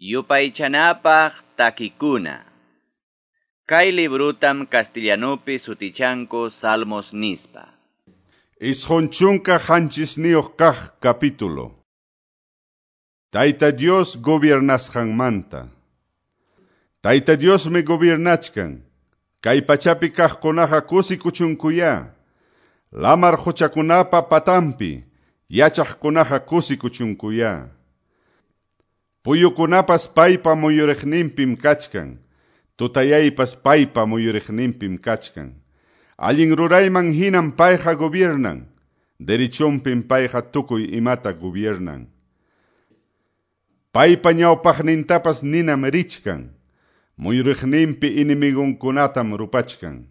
Yupaychanapaq takikuna. Kay librutam castellanupi sutichanku Salmos nispa. 97 kaq capítulo. Tayta Dios gobiernasqanmanta. Tayta Diosmi gobiernachkan. Kay pachapi kaqkunaqa kusikuchunkuyá. Lamar quchakunapa patampi yachaqkunaqa kusikuchunkuyá. Puyukunapas paypa muyuriqninpim kachkan. Tutayaypas paypa muyuriqninpim kachkan. Allin rurayman hinam payqa gobiernan. Derechunpim payqa tukuy imata gobiernan. Paypa ñawpaqnintapas ninam richkan. Muyuriqninpi enemigonkunatam rupachkan.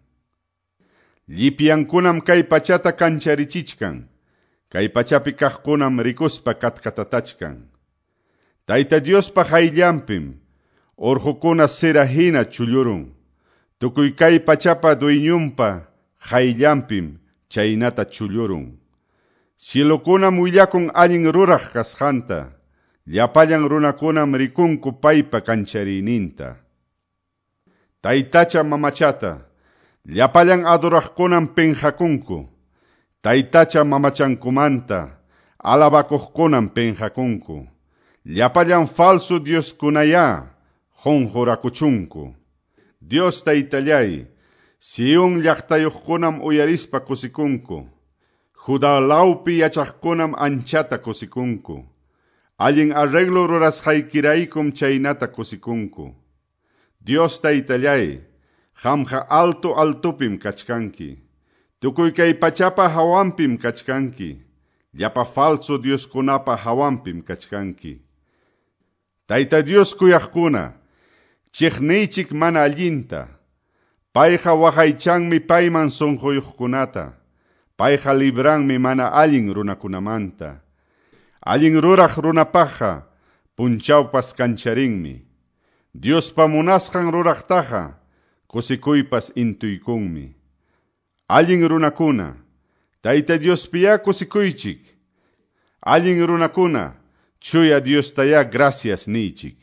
Llipyankunam kay pachata kancharichichkan. Kay pachapi kaqkunam rikuspa katkatatachkan. Tayta Diospa hayllanpim urqukuna sira hina chullurun. Tukuy kay pachapa dueñunpa hayllanpim chaynata chullurun. Cielokunam willakun allin ruraq kasqanta. Llapallan runakunam rikunku paypa kanchariyninta. Taytacha mamachata, llapallan adoraqkunam penqakunku. Taytacha mamachankumanta, alabakuqkunam penqakunku. Llapallan falso dioskunayá qunqurakuchunku. Dios taytallay, Sion llaqtayuqkunam uyarispa kusikunku. Judá lawpi yachaqkunam anchata kusikunku. Allin arreglo rurasqaykiraykum chaynata kusikunku. Dios taytallay, qamqa alto altopim kachkanki. Tukuy kay pachapa hawanpim kachkanki. Llapa falso dioskunapa hawanpim kachkanki. Tayta Dios kuyaqkuna, chiqniychik mana allinta. Payqa waqaychanmi payman sunquyuqkunata. Payqa libranmi mana allin runakunamanta. Allin ruraq runapaqqa punchawpas kancharinmi. Diospa munasqan ruraqtaqa kusikuypas intuykunmi. Allin runakuna, Tayta Diospiyá kusikuychik. Allin runakuna, chuya Diostayá gracias niychik.